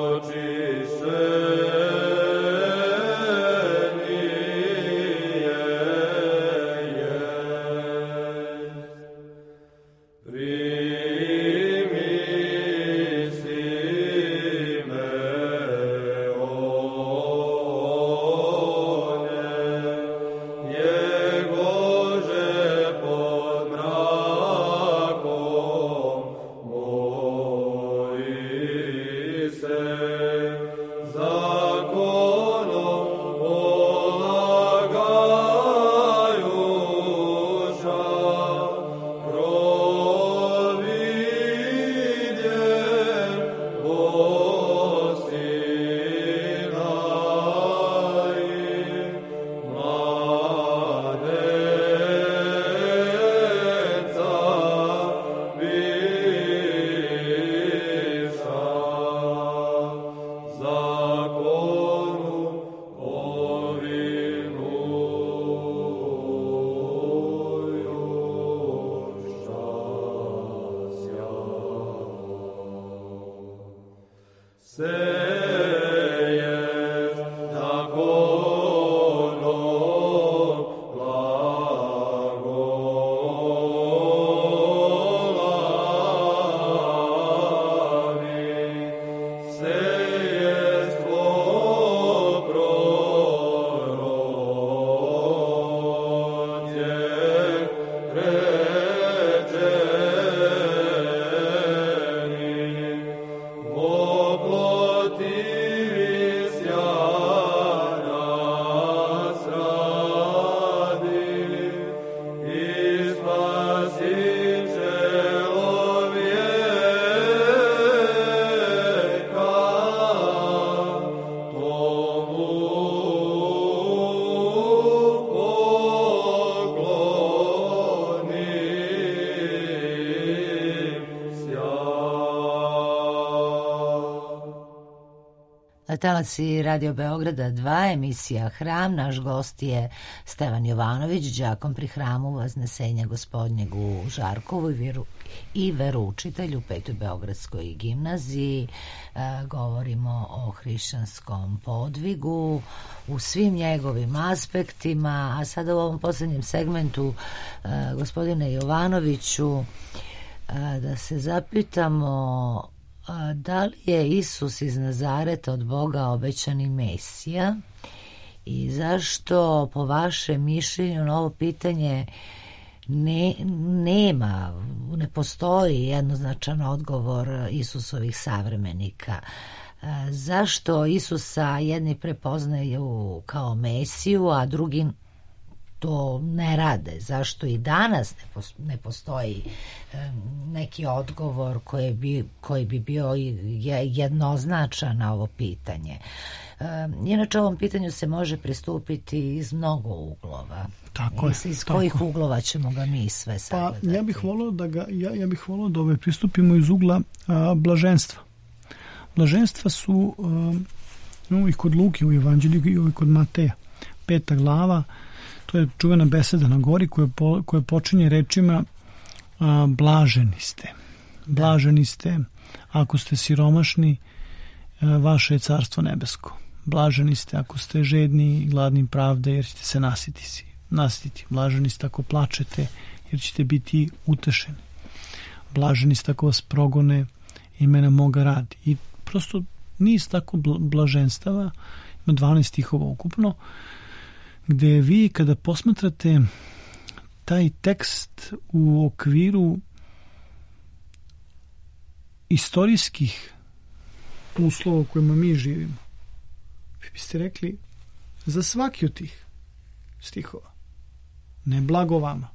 talasi Radio Beograda 2, emisija Hram. Naš gost je Stevan Jovanović, đakon pri hramu Vaznesenja Gospodnjeg u Žarkovu i veroučitelj u 5. Beogradskoj gimnaziji. Govorimo o hrišćanskom podvigu u svim njegovim aspektima, a sada u ovom posljednjem segmentu, gospodine Jovanoviću, da se zapitamo da li je Isus iz Nazareta od Boga obećani Mesija i zašto po vašem mišljenju na ovo pitanje ne postoji jednoznačan odgovor Isusovih savremenika. Zašto Isusa jedni prepoznaju kao Mesiju, a drugi to ne rade? Zašto i danas ne postoji neki odgovor koji bi bio jednoznačan na ovo pitanje? Inače, ovom pitanju se može pristupiti iz mnogo uglova. Tako je. Iz kojih uglova ćemo ga mi sve sagledati? Pa ja bih volio da pristupimo iz ugla blaženstva. Blaženstva su i kod Luke u Evanđelju i kod Mateja. 5. glava, to je čuvena beseda na gori koja počinje rečima blaženi ste. Blaženi ste ako ste siromašni, vaše je carstvo nebesko. Blaženi ste ako ste žedni i gladni pravde, jer ćete se nasititi. Blaženi ste ako plačete, jer ćete biti utešeni. Blaženi ste ako vas progone imena moga radi. I prosto niz tako blaženstava, ima 12 stihova ukupno, gde vi kada posmatrate taj tekst u okviru istorijskih uslova u kojima mi živimo, vi biste rekli za svaki od tih stihova ne blago vama,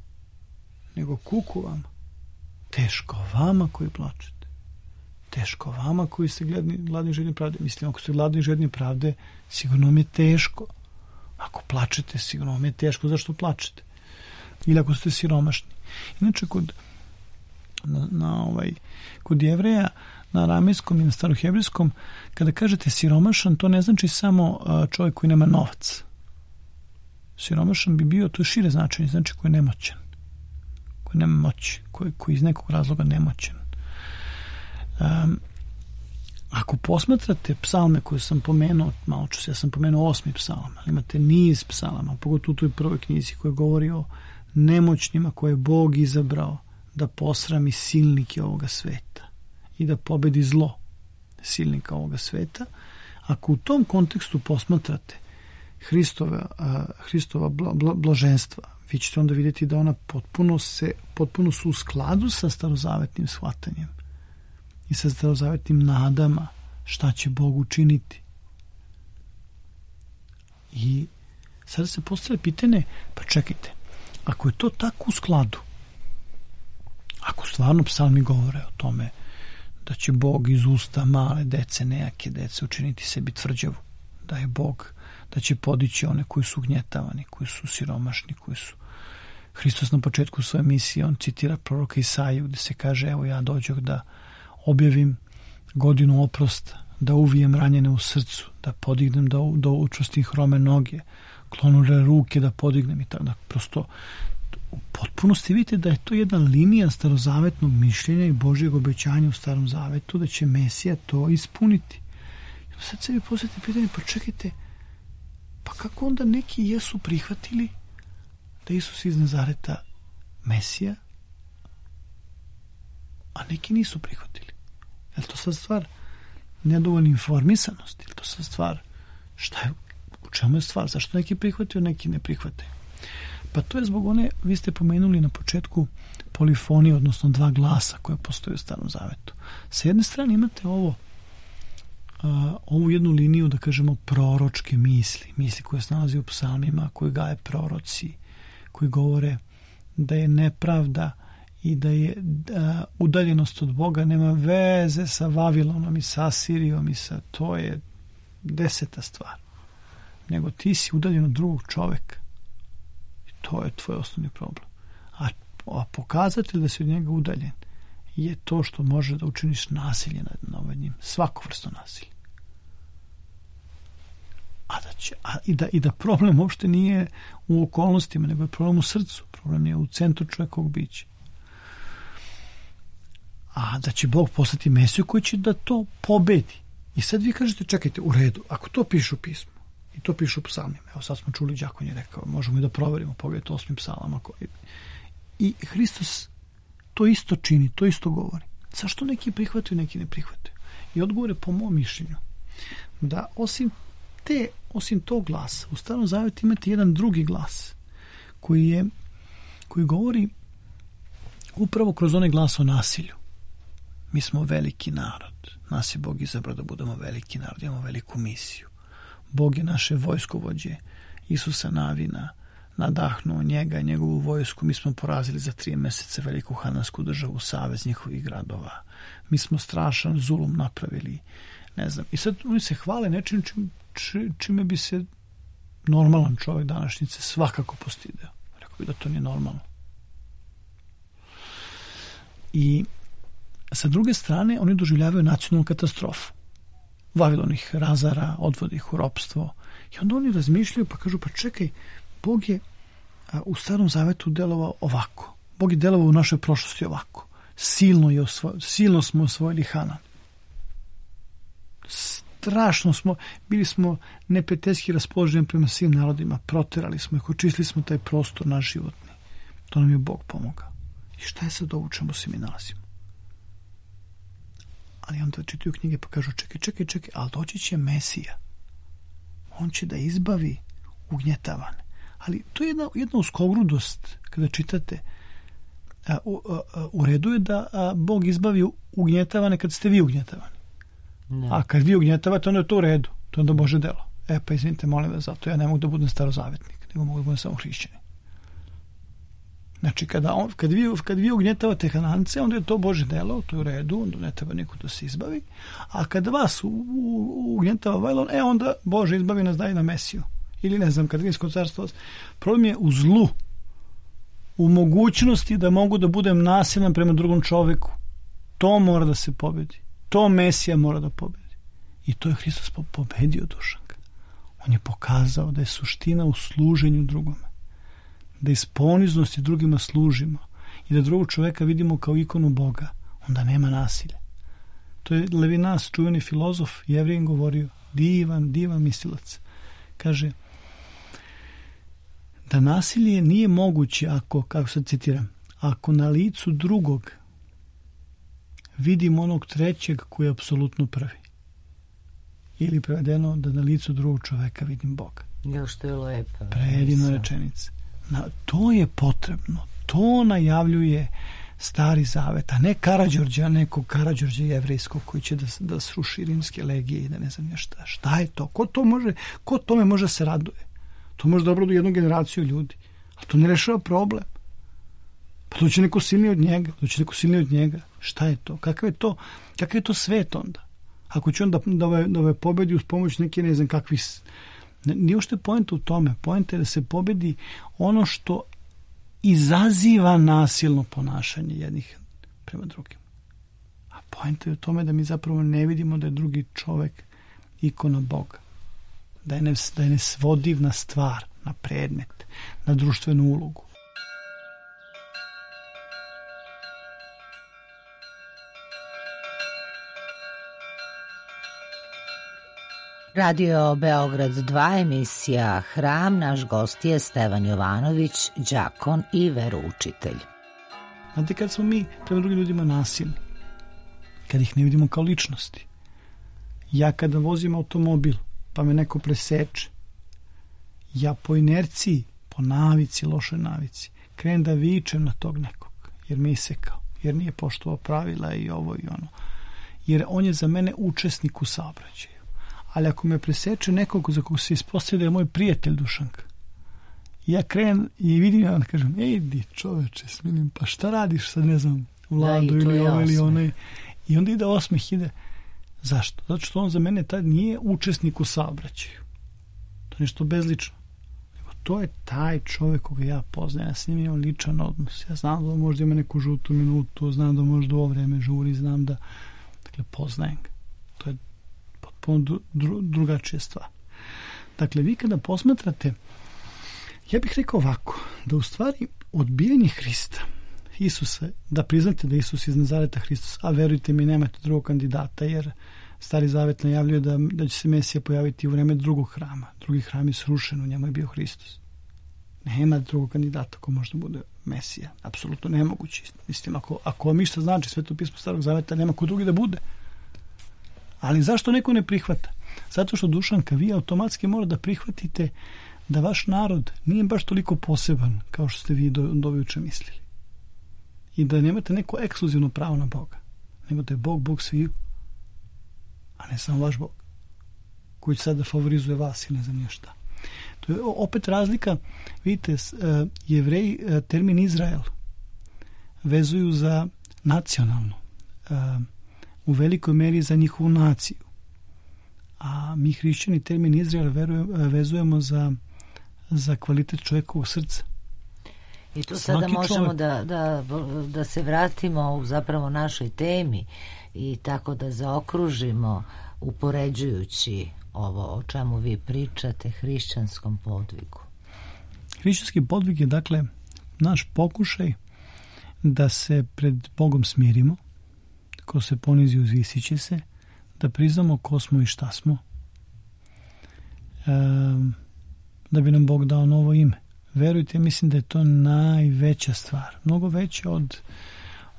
nego kuku vama, teško vama koji plačete, teško vama koji ste gladni i žedni pravde. Mislim, ako ste gladni i žedni pravde, sigurno mi je teško. Ako plačete, sigurno vam je teško. Zašto plačete? Ili ako ste siromašni. Inače, kod Jevreja, na aramejskom i na starohebrijskom, kada kažete siromašan, to ne znači samo čovjek koji nema novac. Siromašan bi bio, to je šire značenje, znači koji je nemoćan, koji nema moći, koji iz nekog razloga nemoćan. Ako posmatrate psalme koje sam pomenuo, malo ću se, ja sam pomenuo 8. psalam, ali imate niz psalama, pogotovo u toj prvoj knjizi koja govori o nemoćnima koje je Bog izabrao da posrami silnike ovoga sveta i da pobedi zlo silnika ovoga sveta. Ako u tom kontekstu posmatrate Hristova blaženstva, vi ćete onda vidjeti da ona potpuno su u skladu sa starozavetnim shvatanjem i sa starozavetnim nadama šta će Bog učiniti. I sada se postavlja pitanje, pa čekajte, ako je to tako u skladu, ako stvarno psalmi govore o tome da će Bog iz usta male dece, nejake dece učiniti sebi tvrđavu, da je Bog, da će podići one koji su ugnjetavani, koji su siromašni, koji su... Hristos na početku svoje misije, on citira proroka Isaiju gdje se kaže, evo ja dođoh da objavim godinu oprosta, da uvijem ranjene u srcu, da podignem, da učvrstim hrome noge, klonure ruke da podignem i tako da prosto u potpunosti vidite da je to jedna linija starozavetnog mišljenja i Božjeg obećanja u Starom Zavetu da će Mesija to ispuniti. I sad sebi postavite pitanje, pa čekajte, pa kako onda neki jesu prihvatili da Isus iz Nazareta Mesija, a neki nisu prihvatili? Je li to sad stvar nedovoljne informisanosti? Je li to sad stvar u čemu je stvar? Zašto neki prihvatio, neki ne prihvataju? Pa to je zbog one, vi ste pomenuli na početku polifonije, odnosno 2 glasa koje postoje u Starom Zavetu. Sa jedne strane imate ovu jednu liniju, da kažemo, proročke misli koje se nalazi u psalmima, koje gaje proroci, koji govore da je nepravda i da je udaljenost od Boga nema veze sa Vavilonom i sa Asirijom i sa, to je 10. stvar. Nego ti si udaljen od drugog čoveka. I to je tvoj osnovni problem. A pokazatelj da si od njega udaljen je to što može da učiniš nasilje nad njim. Svako vrsto nasilja. I da problem uopšte nije u okolnostima, nego je problem u srcu, problem je u centru čovjekovog bića. A da će Bog poslati Mesiju koji će da to pobedi. I sad vi kažete, čekajte, u redu, ako to piše u pismu i to piše u psalmima, evo sad smo čuli, đakon je rekao, možemo i da proverimo, pogledajte 8. psalama. I Hristos to isto čini, to isto govori. Zašto neki prihvataju, neki ne prihvataju? I odgovor je po mom mišljenju da osim tog glasa u Starom Zavetu imate jedan drugi glas koji govori upravo kroz onaj glas o nasilju. Mi smo veliki narod. Nas je Bog izabrao da budemo veliki narod. Imamo veliku misiju. Bog je naše vojskovođe Isusa Navina nadahnuo njega i njegovu vojsku. Mi smo porazili za 3 meseca veliku hanansku državu, savez njihovih gradova. Mi smo strašan zulum napravili. Ne znam. I sad oni se hvale nečim čime bi se normalan čovjek današnjice svakako postideo. Rekao bi da to nije normalno. I sa druge strane, oni doživljavaju nacionalnu katastrofu. Vavilon ih razara, odvodi ih u ropstvo. I onda oni razmišljaju pa kažu, pa čekaj, Bog je u Starom Zavetu delovao ovako. Bog je delovao u našoj prošlosti ovako. Silno smo osvojili Hanan. Strašno bili smo neprijateljski raspoloženi prema svim narodima. Proterali smo ih, očistili smo taj prostor naš životni. To nam je Bog pomogao. I šta je sad ovo u čemu se mi nalazimo? Ali onda čitaju knjige pa kažu čekaj, ali doći će Mesija. On će da izbavi ugnjetavane. Ali to je jedna uskogrudost kada čitate. U redu je da Bog izbavi ugnjetavane kad ste vi ugnjetavani. Ne. A kad vi ugnjetavate, onda je to u redu. To onda Bože delo. Pa izvinite, molim vas, zato ja ne mogu da budem starozavetnik, nego mogu da budem samo hrišćanin. Znači, kad vi ugnjetavate Hanance, onda je to Bože delo, to je u redu, onda ne treba niko da se izbavi. A kad vas ugnjetava Vavilon, onda Bože izbavi nas, daje na Mesiju. Ili ne znam, kad Rimsko carstvo. Problem je u zlu, u mogućnosti da mogu da budem nasilan prema drugom čoveku. To mora da se pobedi. To Mesija mora da pobedi. I to je Hristos pobedio, Dušanka. On je pokazao da je suština u služenju drugome. Da iz poniznosti drugima služimo i da drugog čoveka vidimo kao ikonu Boga, onda nema nasilja. To je Levinas, čuveni filozof, Jevrijin, govorio, divan mislilac. Kaže da nasilje nije moguće ako, kako sad citiram, ako na licu drugog vidim onog trećeg koji je apsolutno prvi. Ili prevedeno da na licu drugog čoveka vidim Boga. Još to je lepo. Predivna rečenica. To je potrebno. To najavljuje Stari Zavet, a ne Karađorđa, nekog Karađorđa jevrejskog koji će da sruši rimske legije i da ne znam šta. Šta je to? Ko tome može se raduje? To može da obraduje jednu generaciju ljudi. A to ne rešava problem. Pa to će neko silniji od njega. Šta je to? Kakav je to svet onda? Ako će on da pobedi uz pomoć neke ne znam kakvih... Nije ušte poenta u tome. Poenta je da se pobedi ono što izaziva nasilno ponašanje jednih prema drugim. A poenta je u tome da mi zapravo ne vidimo da je drugi čovek ikona Boga. Da je nesvodivna stvar, na predmet, na društvenu ulogu. Radio Beograd 2, emisija Hram, naš gost je Stevan Jovanović, đakon i veroučitelj. Znate, kad smo mi prema drugim ljudima nasilni, kad ih ne vidimo kao ličnosti, ja kada vozim automobil pa me neko preseče, ja po inerciji, po navici, lošoj navici, krenem da vičem na tog nekog, jer me isekao, jer nije poštovao pravila i ovo i ono. Jer on je za mene učesnik u saobraćaju. Ali ako me preseče nekog za kog se ispostavlja da je moj prijatelj Dušanka, ja krenem i vidim, ja kažem, idi čoveče, smilim, pa šta radiš sad, ne znam, Vladu ili ovo ili onaj. I onda ide osmeh, ide. Zašto? Zato što on za mene tad nije učesnik u saobraćaju. To je nešto bezlično. To je taj čovjek koga ja poznajem, ja s njim imam ličan odnos. Ja znam da možda ima neku žutu minutu, znam da možda u ovo vreme žuri, znam da, dakle, poznajem ga. To je potpuno drugačija stvar. Dakle, vi kada posmatrate, ja bih rekao ovako, da u stvari odbijanje Hrista, Isusa, da priznate da Isus iz Nazareta Hristos, a verujte mi, nemate drugog kandidata, jer Stari Zavet najavljuje da će se Mesija pojaviti u vreme drugog hrama. Drugi hram je srušen, u njemu je bio Hristos. Nema drugog kandidata ko može da bude Mesija. Apsolutno nemoguće. Mislim, ako vam išta znači Sveto pismo Starog Zaveta, nema ko drugi da bude. Ali zašto neko ne prihvata? Zato što, Dušanka, vi automatski mora da prihvatite da vaš narod nije baš toliko poseban kao što ste vi do juče mislili. I da nemate neko ekskluzivno pravo na Boga. Nego da je Bog sviju, a ne samo vaš Bog, koji sada favorizuje vas i ne znam nije šta. To je opet razlika. Vidite, Jevreji termin Izrael vezuju za nacionalno, u velikoj meri za njihovu naciju. A mi hrišćani termin Izrael vezujemo za kvalitet čovjekovog srca. I tu sada možemo da se vratimo u zapravo našoj temi i tako da zaokružimo, upoređujući ovo o čemu vi pričate, hrišćanskom podvigu. Hrišćanski podvig je, dakle, naš pokušaj da se pred Bogom smirimo, ko se ponizi uzvisit će se, da priznamo ko smo i šta smo, da bi nam Bog dao novo ime. Verujte, mislim da je to najveća stvar. Mnogo veća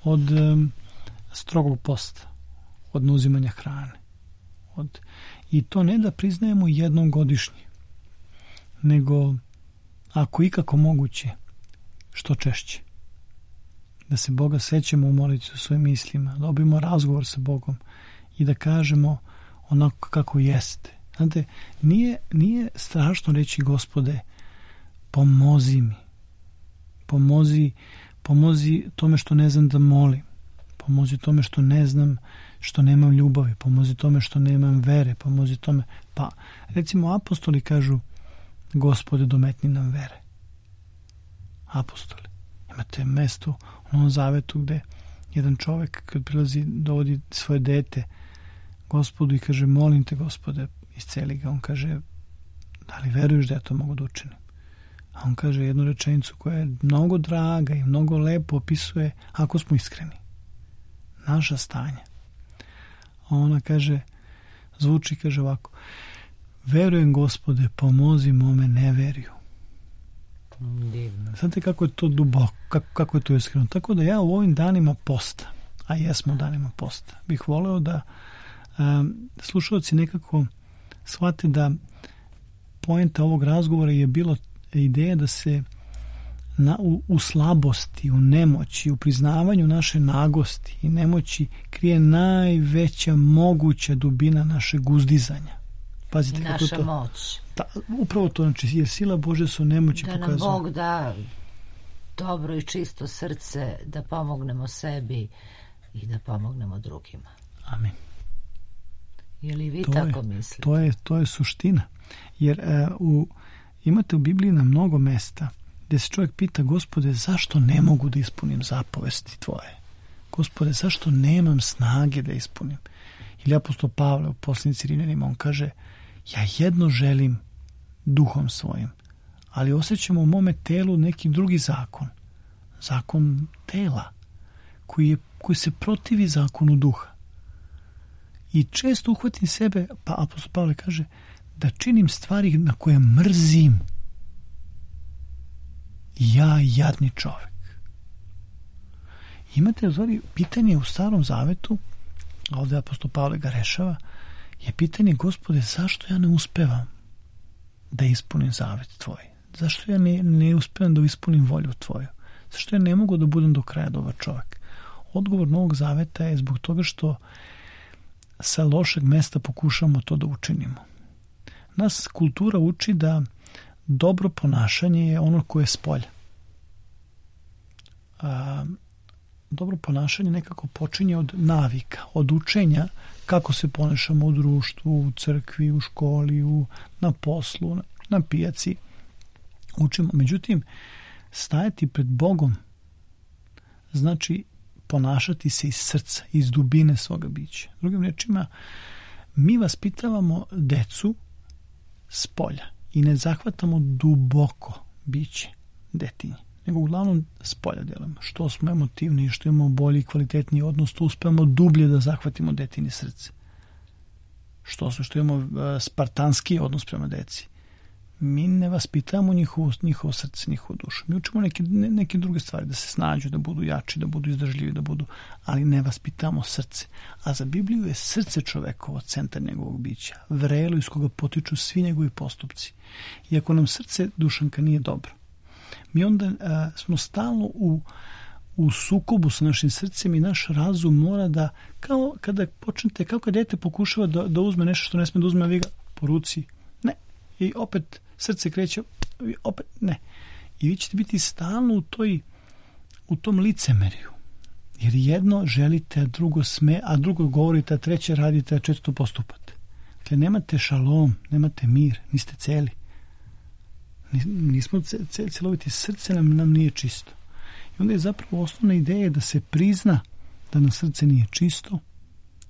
od strogog posta, od neuzimanja hrane. I to ne da priznajemo jednom godišnje, nego ako ikako moguće, što češće. Da se Boga sećamo u molitvi u svojim mislima, da dobijemo razgovor sa Bogom i da kažemo onako kako jeste. Znate, nije strašno reći: Gospode, pomozi mi. Pomozi tome što ne znam da molim. Pomozi tome što ne znam, što nemam ljubavi. Pomozi tome što nemam vere. Pomozi tome. Pa, recimo, apostoli kažu: Gospode, dometni nam vere. Apostoli. Imate mesto u Novom Zavetu gde jedan čovjek kad prilazi, dovodi svoje dete Gospodu i kaže: molim te, Gospode, isceli ga. On kaže: da li veruješ da ja to mogu da učinim? A on kaže jednu rečenicu koja je mnogo draga i mnogo lepo opisuje, ako smo iskreni, naša stanja. A ona kaže, kaže ovako: verujem, Gospode, pomozi mome neveriju. Divno. Znate kako je to duboko, kako je to iskreno. Tako da ja u ovim danima posta, a jesmo u danima posta, bih voleo da slušalci nekako shvate da poenta ovog razgovora je bilo ideja da se u slabosti, u nemoći, u priznavanju naše nagosti i nemoći krije najveća moguća dubina našeg uzdizanja. Pazite, i naša moć. Upravo to, znači, jer sila Bože su nemoći pokazuje. Da nam Bog da dobro i čisto srce da pomognemo sebi i da pomognemo drugima. Amin. Je li vi tako mislite? To je suština. Jer imate u Bibliji na mnogo mesta gdje se čovjek pita: Gospode, zašto ne mogu da ispunim zapovesti tvoje? Gospode, zašto nemam snage da ispunim? Ili apostol Pavle u poslanici Rimljanima, on kaže: ja jedno želim duhom svojim, ali osjećam u mome telu neki drugi zakon tela, koji se protivi zakonu duha. I često uhvatim sebe, pa apostol Pavle kaže, da činim stvari na koje mrzim. Ja, jadni čovjek. Imate, u stvari, pitanje u Starom Zavetu, a ovdje apostol Pavle ga rešava, je pitanje: Gospode, zašto ja ne uspevam da ispunim zavet tvoj? Zašto ja ne uspevam da ispunim volju tvoju? Zašto ja ne mogu da budem do kraja dobar čovjek? Odgovor Novog Zaveta je zbog toga što sa lošeg mesta pokušamo to da učinimo. Nas kultura uči da dobro ponašanje je ono koje je spolja. Dobro ponašanje nekako počinje od navika, od učenja kako se ponašamo u društvu, u crkvi, u školi, na poslu, na pijaci. Učimo. Međutim, stajati pred Bogom znači ponašati se iz srca, iz dubine svoga bića. Drugim rečima, mi vaspitavamo decu s polja i ne zahvatamo duboko biće detinje, nego uglavnom s polja delamo. Što smo emotivni, što imamo bolji i kvalitetniji odnos, to uspemo dublje da zahvatimo detinje srce. Što imamo spartanski odnos prema deci. Mi ne vaspitamo njihovo srce, njihovu dušu. Mi učimo neke druge stvari, da se snađu, da budu jači, da budu izdržljivi, ali ne vaspitamo srce. A za Bibliju je srce čovekovo centar njegovog bića, vrelo iz koga potiču svi njegovi postupci. I ako nam srce, Dušanka, nije dobro, mi onda smo stalno u sukobu sa našim srcem i naš razum mora da, kao kada dete pokušava da uzme nešto što ne sme da uzme, a vi ga po ruci, ne, i opet srce kreće, opet ne. I vi ćete biti stalno u tom licemerju. Jer jedno želite, a drugo sme, a drugo govorite, a treće radite, a četvrto postupate. Dakle, nemate šalom, nemate mir, niste celi. Nismo celoviti, srce nam nije čisto. I onda je zapravo osnovna ideja da se prizna da nam srce nije čisto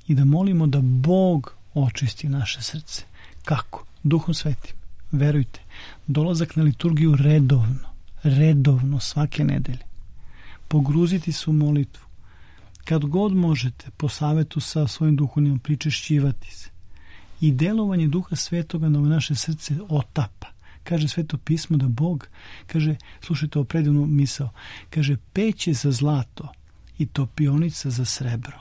i da molimo da Bog očisti naše srce. Kako? Duhom Svetim. Verujte, dolazak na liturgiju redovno svake nedelje. Pogruziti se u molitvu. Kad god možete, po savetu sa svojim duhovnim, pričešćivati se. I delovanje Duha Svetoga na naše srce otapa. Kaže Sveto pismo da Bog, kaže, slušajte ovo predivnu misao, kaže, peć je za zlato i topionica za srebro,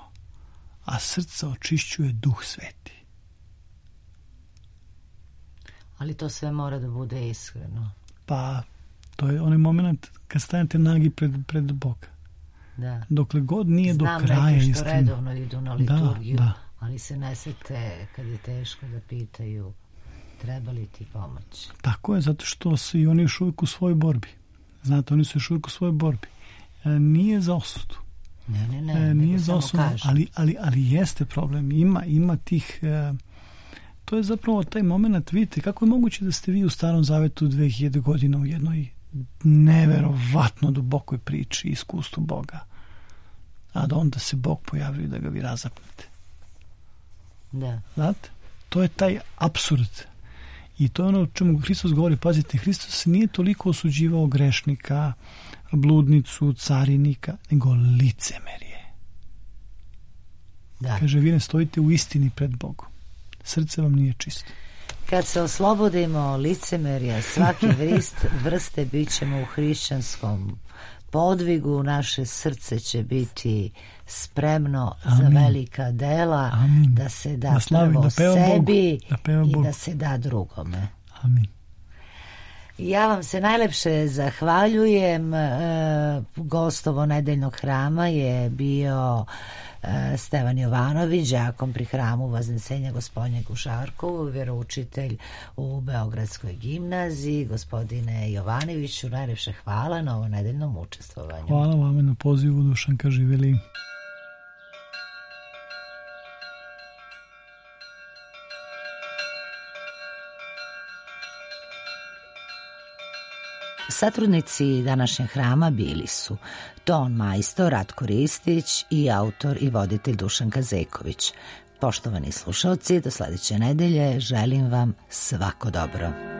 a srce očišćuje Duh Sveti. Ali to sve mora da bude iskreno. Pa, to je onaj moment kad stanete nagi pred Boga. Da. Dokle god nije do kraja iskreno. Znam neki što redovno idu na liturgiju, da. Ali se ne sete kad je teško da pitaju treba li ti pomoć. Tako je, zato što su i oni još uvijek u svojoj borbi. Znate, oni su još uvijek u svojoj borbi. Nije za osudu. Ne, nije za osudu, ali jeste problem. Ima tih... To je zapravo taj moment, vidite, kako je moguće da ste vi u Starom Zavetu 2000 godina u jednoj neverovatno dubokoj priči, iskustvu Boga, a da onda se Bog pojavljuje da ga vi razapnete. Da. Znate? To je taj apsurd. I to je ono o čemu Hristos govori. Pazite, Hristos nije toliko osuđivao grešnika, bludnicu, carinika, nego licemerje. Da. Kaže, vi ne stojite u istini pred Bogom. Srce vam nije čisto. Kad se oslobodimo licemerja svake vrste, bit ćemo u hrišćanskom podvigu, naše srce će biti spremno za velika dela. Amin. Da se da prvo sebi i da se da drugome. Amin. Ja vam se najlepše zahvaljujem. Gostovo nedeljnog hrama je bio Stevan Jovanović, đakon pri hramu Vaznesenja Gospodnjeg u Žarkovu, vjeroučitelj u Beogradskoj gimnaziji. Gospodine Jovanoviću, najlepše hvala na ovo nedeljnom učestvovanju. Hvala vama na pozivu, Dušanka, živjeli. Satrudnici današnjeg hrama bili su ton majstor Ratko Ristić i autor i voditelj Dušanka Zeković. Poštovani slušalci, do sledeće nedelje želim vam svako dobro.